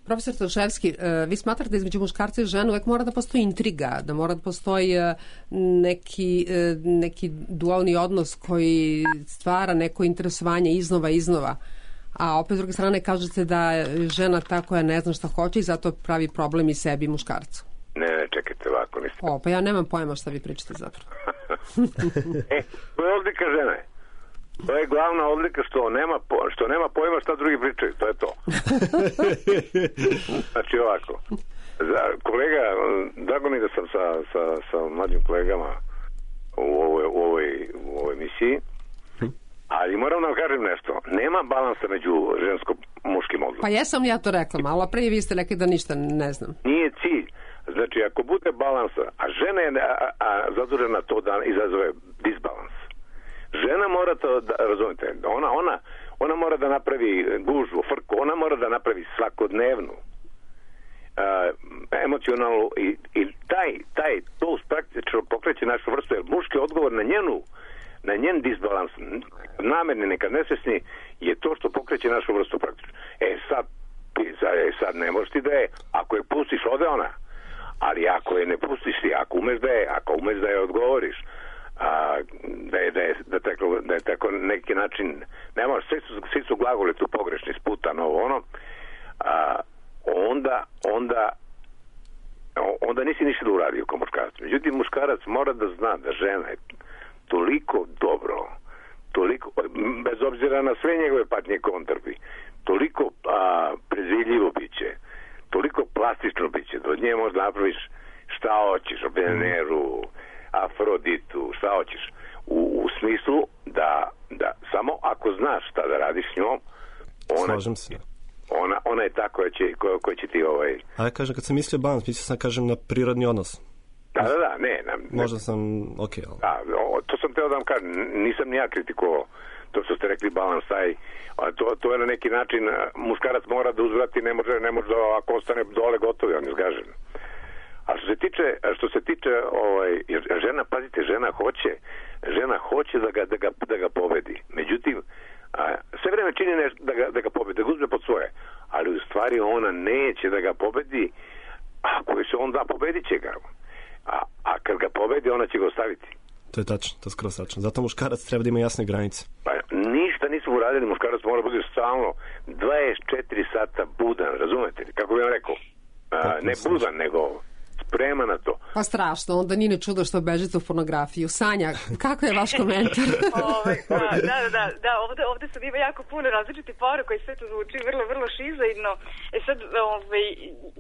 Profesor Toševski, vi smatrate da između muškarca i žene uvek mora da postoji intriga, da mora da postoji neki, neki dualni odnos koji stvara neko interesovanje iznova iznova, a opet s druge strane kažete da je žena ta koja ne zna šta hoće i zato pravi problem i sebi i muškarcu. Ne, ne, čekajte ovako. Niste. O, pa ja nemam pojma šta vi pričate zapravo. E, to je odlika žene. To je glavna odlika što nema, što nema pojma šta drugi pričaju. To je to. Znači ovako. Za, kolega, drago mi da sam sa, sa, sa mlađim kolegama u ovoj, u ovoj, u ovoj emisiji, ali moram da vam kažem nešto. Nema balansa među žensko-muškim odnosom. Pa jesam ja to rekla malo, a prije vi ste rekli da ništa ne znam. Nije cilj. Znači, ako bude balansa, a žena je a, a, zadužena to da izazove disbalans. Žena mora to, da, razumite, ona, ona, ona mora da napravi gužvu, frku, ona mora da napravi svakodnevnu a, emocionalnu i, i taj, taj, to praktično pokreće našu vrstu, jer muški odgovor na njenu, na njen disbalans, namerni, nekad nesvesni, je to što pokreće našu vrstu praktično. E sad, e, sad ne možeš ti da je, ako je pustiš, ode ona. Ali ako je ne pustiš ti, ako umeš da je, ako umeš da je odgovoriš, a, da je, da je, da tako, da je tako neki način, ne možeš, svi su, svi su glagoli tu pogrešni, sputan, ovo ono, a, onda, onda, onda nisi ništa da uradio kao muškarac. Međutim, muškarac mora da zna da žena je toliko dobro, toliko, bez obzira na sve njegove patnje kontrbi, toliko a, preziljivo biće, toliko plastično biće, da od nje možda napraviš šta hoćeš, o Veneru, Afroditu, šta hoćeš, u, u smislu da, da samo ako znaš šta da radiš s njom, ona, Slažem se. ona, ona je ta koja će, koja, koja će ti ovaj... A ja kažem, kad sam mislio balans, mislio sam kažem na prirodni odnos. Da, da, da, ne. ne Možda sam, ok. Ali... Da, to sam teo da vam kažem, nisam ni ja kritikovao to što ste rekli balans, taj, to, to je na neki način, muškarac mora da uzvrati, ne može, ne može da, ako ostane dole gotovi, on je zgažen. A što se tiče, što se tiče ovaj, žena, pazite, žena hoće, žena hoće da ga, da ga, da ga pobedi. Međutim, a, sve vreme čini nešto da ga, da ga pobedi, da ga uzme pod svoje, ali u stvari ona neće da ga pobedi, ako se on da, pobedit će ga. A, a kad ga pobedi, ona će ga ostaviti. To je tačno, to je skoro tačno. Zato muškarac treba da ima jasne granice. Pa ništa nismo uradili, muškarac mora bude stalno dvadeset četiri sata budan, razumete li? Kako bih vam rekao? A, ne budan, nego sprema na to. Pa strašno, onda nije ne čudo što bežite u pornografiju. Sanja, kako je vaš komentar? Ove, da, da, da, da, ovde, ovde sad ima jako puno različitih poruka i sve to zvuči vrlo, vrlo šizoidno. E sad, ove,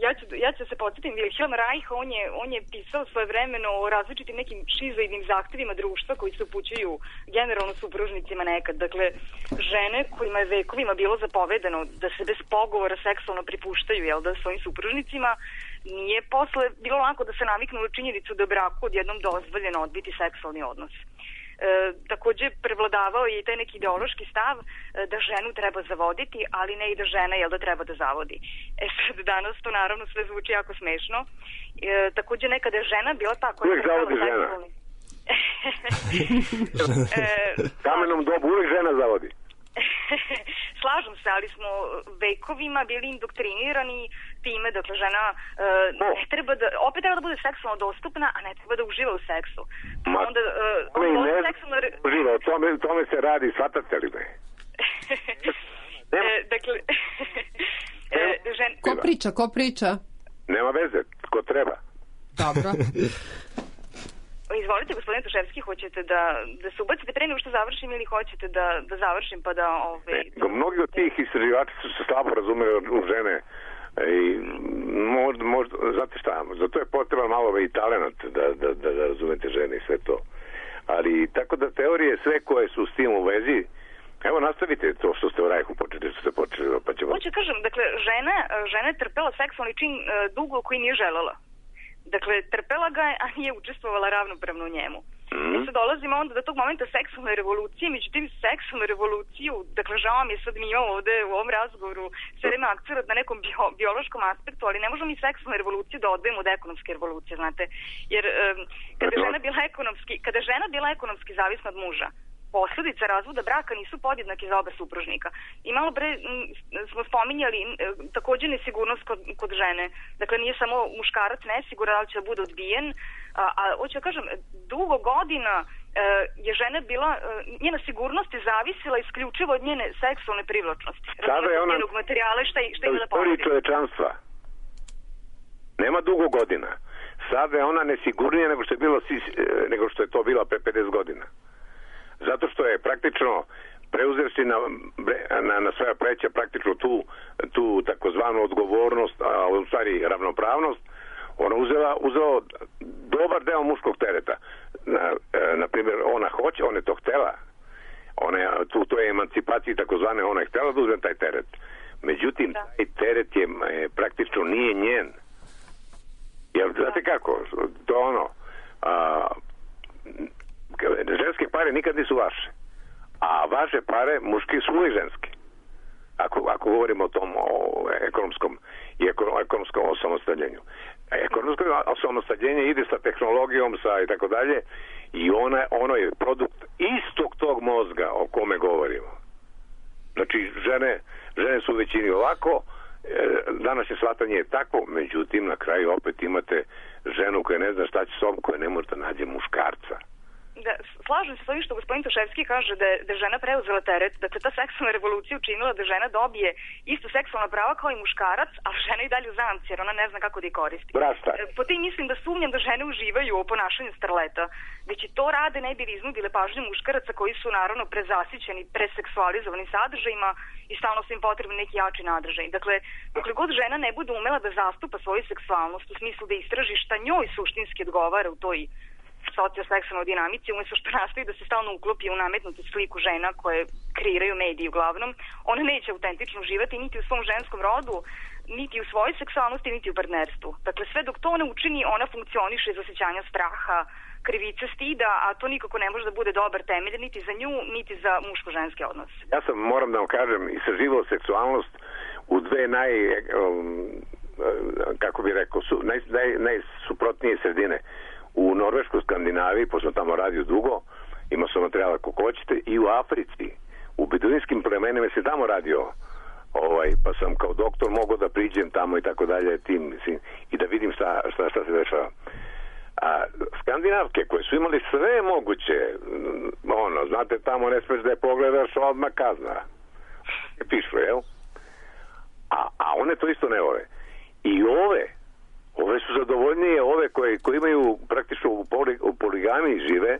ja, ću, ja ću se podsjetim, Wilhelm Reich, on je, on je pisao svoje vremeno o različitim nekim šizoidnim zahtevima društva koji se upućuju generalno supružnicima nekad. Dakle, žene kojima je vekovima bilo zapovedano da se bez pogovora seksualno pripuštaju, jel da, svojim supružnicima, nije posle bilo lako da se naviknu na činjenicu da je braku odjednom dozvoljeno odbiti seksualni odnos. E, takođe prevladavao je i taj neki ideološki stav e, da ženu treba zavoditi, ali ne i da žena jel da treba da zavodi. E sad danas to naravno sve zvuči jako smešno. E, takođe nekada je žena bila ta koja... Uvijek zavodi žena. e, Kamenom dobu uvijek žena zavodi. Slažem se, ali smo vekovima bili indoktrinirani time, dakle žena uh, ne treba da, opet treba da bude seksualno dostupna, a ne treba da uživa u seksu. Ma, onda, uh, ne, ne seksualno... uživa, o tome, tome se radi, shvatate li me? e, dakle, e, žen... Ko priča, ko priča? Nema veze, ko treba. Dobro. Izvolite, gospodine Toševski, hoćete da, da se ubacite pre nego što završim ili hoćete da, da završim pa da... Ove, ne, da... Mnogi od tih istraživača su se slabo razumeli u žene i možda, možda, znate šta, zato je potreban malo i talent da, da, da, da razumete žene i sve to. Ali tako da teorije sve koje su s tim u vezi Evo, nastavite to što ste u Rajhu počeli, što ste počeli, pa ćemo... Hoće kažem, dakle, žena, žena je trpela seksualni čin uh, dugo koji nije želela. Dakle, trpela ga je, a nije učestvovala ravnopravno u njemu. Mm. I sad dolazimo onda do tog momenta seksualne revolucije, međutim, seksualnu revoluciju, dakle, žao mi je sad mi imamo ovde u ovom razgovoru sve vreme akcenat na nekom bio, biološkom aspektu, ali ne možemo mi seksualnu revoluciju da odvojimo od ekonomske revolucije, znate. Jer um, kada je žena bila ekonomski, kada je žena bila ekonomski zavisna od muža, posledice razvoda braka nisu podjednake za oba supružnika. I malo pre m, smo spominjali m, takođe nesigurnost kod, kod žene. Dakle, nije samo muškarac nesiguran, ali će da bude odbijen. A, a hoću da kažem, dugo godina e, je žena bila, e, njena sigurnost je zavisila isključivo od njene seksualne privlačnosti. Sada je ona njenog materijala šta, šta ima da porodi. Čovečanstva. Nema dugo godina. Sada je ona nesigurnija nego što je, bilo, nego što je to bila pre pedeset godina. Zato što je praktično preuzevši na, na, na svoja pleća praktično tu, tu takozvanu odgovornost, a u stvari ravnopravnost, ona uzela, uzela dobar deo muškog tereta. Na, na primjer, ona hoće, ona je to htela. Ona je, tu, to je emancipaciji takozvane, ona je htela da uzme taj teret. Međutim, da. taj teret je, je praktično nije njen. Jer, znate kako, to ono... A, ženske pare nikad nisu vaše, a vaše pare muški su uvijek ženski. Ako, ako govorimo o tom o ekonomskom i eko, ekonomskom osamostaljenju. Ekonomsko osamostaljenje ide sa tehnologijom, sa i tako dalje, i ona, ono je produkt istog tog mozga o kome govorimo. Znači, žene, žene su u većini ovako, danas je shvatanje je tako, međutim, na kraju opet imate ženu koja ne zna šta će s ovom, koja ne može da nađe muškarca. Da, slažem se s ovim što gospodin Toševski kaže da je, da je žena preuzela teret, da se ta seksualna revolucija učinila da žena dobije isto seksualna prava kao i muškarac, a žena i dalje u zamci, jer ona ne zna kako da ih koristi. Brasta. Po tim mislim da sumnjam da žene uživaju u ponašanju starleta, već i to rade ne bi li iznudile pažnju muškaraca koji su naravno prezasićeni, preseksualizovani sadržajima i stalno su im potrebni neki jači nadržaj. Dakle, dokle god žena ne bude umela da zastupa svoju seksualnost u smislu da istraži šta njoj suštinski odgovara u toj socioseksualnoj dinamici, umjesto što nastoji da se stalno uklopi u nametnutu sliku žena koje kreiraju mediji uglavnom, ona neće autentično uživati niti u svom ženskom rodu, niti u svojoj seksualnosti, niti u partnerstvu. Dakle, sve dok to ne učini, ona funkcioniše iz osjećanja straha, krivice, stida, a to nikako ne može da bude dobar temelj, niti za nju, niti za muško-ženski odnos. Ja sam, moram da vam kažem, istraživao seksualnost u dve naj, um, kako bi rekao, su, naj, naj, najsuprotnije sredine. U Norveškoj, Skandinaviji, pošto tamo radio dugo, ima su materijala ako hoćete, i u Africi. U beduinskim plemenima se tamo radio, ovaj, pa sam kao doktor mogao da priđem tamo i tako dalje, tim, mislim, i da vidim šta, šta, šta se dešava. A skandinavke koje su imali sve moguće, ono, znate, tamo ne smeš da je pogledaš, odmah kazna. Je pišu, jel? A, a one to isto ne vole. I ove, ove su zadovoljnije, ove koje, koje imaju praktično u, poli, u poligami žive,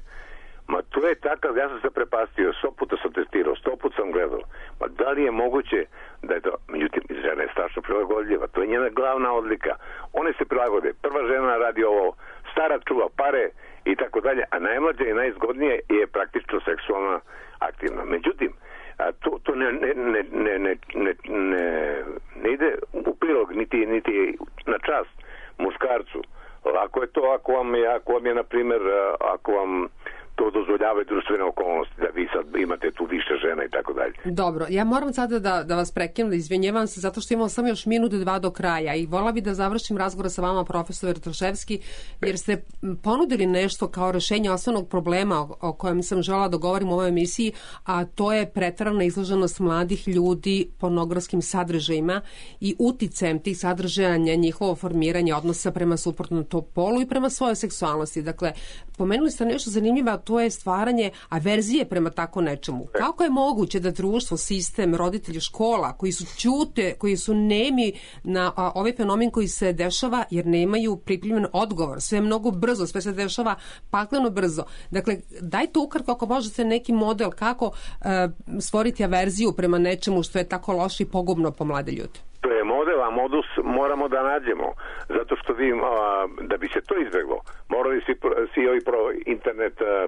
ma to je takav, ja sam se prepastio, sto puta sam testirao, sto puta sam gledao. Ma da li je moguće da je to, međutim, žena je strašno prilagodljiva, to je njena glavna odlika. One se prilagode, prva žena radi ovo, stara čuva pare i tako dalje, a najmlađa i najzgodnije je praktično seksualno aktivna. Međutim, a to, to ne, ne, ne, ne, ne, ne, ne, ne ide u prilog, niti, niti na čast muškarcu. Lako je to ako vam je, ako vam je, na primjer, ako vam to dozvoljavaju društvene okolnosti, da vi sad imate tu više žena i tako dalje. Dobro, ja moram sada da, da vas prekinem, da izvinjevam se, zato što imam samo još minut dva do kraja i vola bi da završim razgovor sa vama, profesor Troševski, jer ste ponudili nešto kao rešenje osnovnog problema o, o kojem sam želela da govorim u ovoj emisiji, a to je preterana izloženost mladih ljudi pornografskim sadržajima i uticajem tih sadržaja na njihovo formiranje odnosa prema suprotnom polu i prema svojoj seksualnosti. Dakle, pomenuli ste nešto zanimljivo, to je stvaranje averzije prema tako nečemu. Kako je moguće da društvo, sistem, roditelji, škola, koji su ćute, koji su nemi na a, ovaj fenomen koji se dešava jer nemaju pripremljen odgovor. Sve je mnogo brzo, sve se dešava pakleno brzo. Dakle, dajte ukratko ako možete neki model kako a, stvoriti averziju prema nečemu što je tako loše i pogubno po mlade ljude. To je model, a modus, moramo da nađemo, zato što vi, a, da bi se to izbeglo, morali svi, svi ovi pro, internet, a,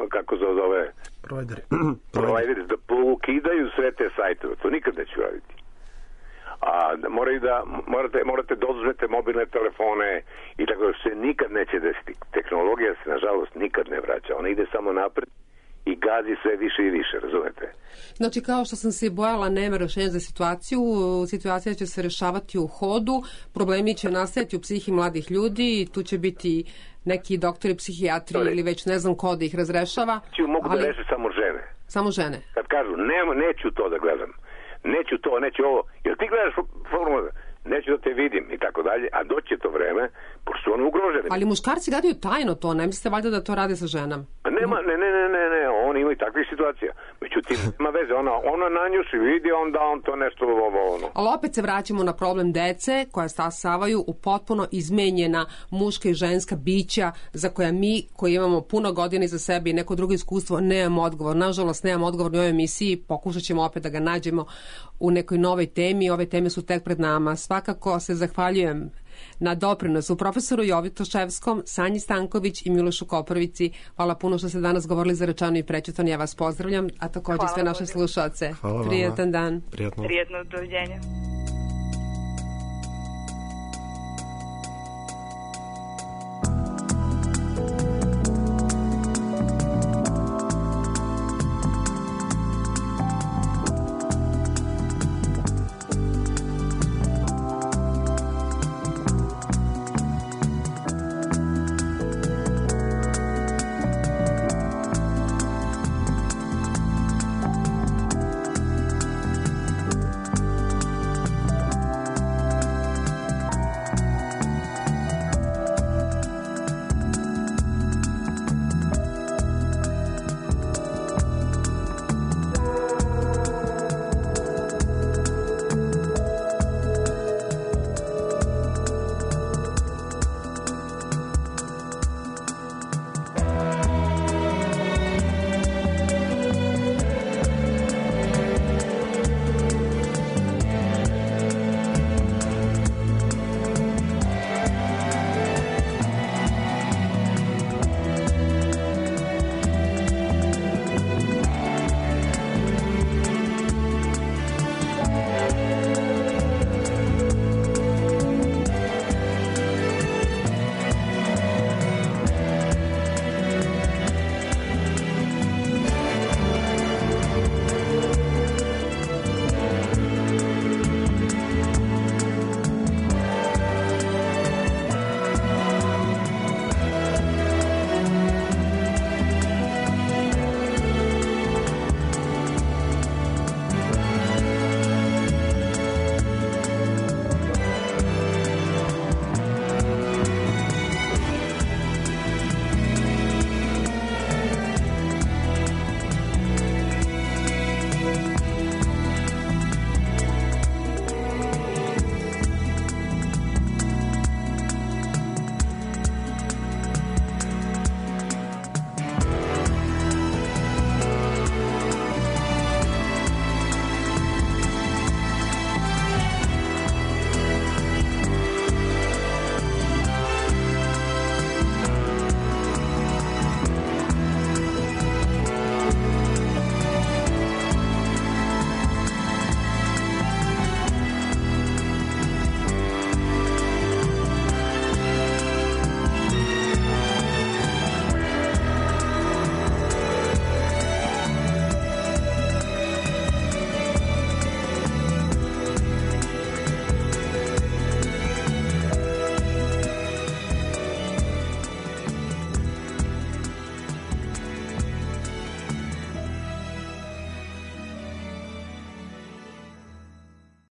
kako se zove, provideri, provideri da ukidaju sve te sajtove, to nikad neću raditi. A moraju da, morate, morate da oduzmete mobilne telefone i tako da se nikad neće desiti. Tehnologija se, nažalost, nikad ne vraća. Ona ide samo napred i gazi sve više i više, razumete? Znači, kao što sam se bojala, nema rešenja za situaciju, situacija će se rešavati u hodu, problemi će nastajati u psihi mladih ljudi, tu će biti neki doktori psihijatri Dole. ili već ne znam ko da ih razrešava. Ću mogu ali... da reše samo žene. Samo žene? Kad kažu, nema, neću to da gledam, neću to, neću ovo, jer ti gledaš formu, neću da te vidim i tako dalje, a doće to vreme, pošto su oni ugroženi. Ali muškarci gledaju tajno to, ne mislite valjda da to rade sa ženama? Nema, ne, ne, ne, ne, ne, oni imaju takvih situacija. Međutim, nema veze, ona, ona na nju se vidi, onda on to nešto ovo, ono. Ali opet se vraćamo na problem dece koja stasavaju u potpuno izmenjena muška i ženska bića za koja mi, koji imamo puno godina iza sebe i neko drugo iskustvo, nemamo odgovor. Nažalost, nemamo odgovor u ovoj emisiji, pokušat ćemo opet da ga nađemo u nekoj novoj temi. Ove teme su tek pred nama. Svakako se zahvaljujem na doprinosu profesoru Jovitoševskom, Sanji Stanković i Milošu Koprovici. Hvala puno što ste danas govorili za Rečano i Prečeton. Ja vas pozdravljam, a također sve naše slušaoce. Hvala Prijetan dan. Prijatno. Prijetno, doviđenja.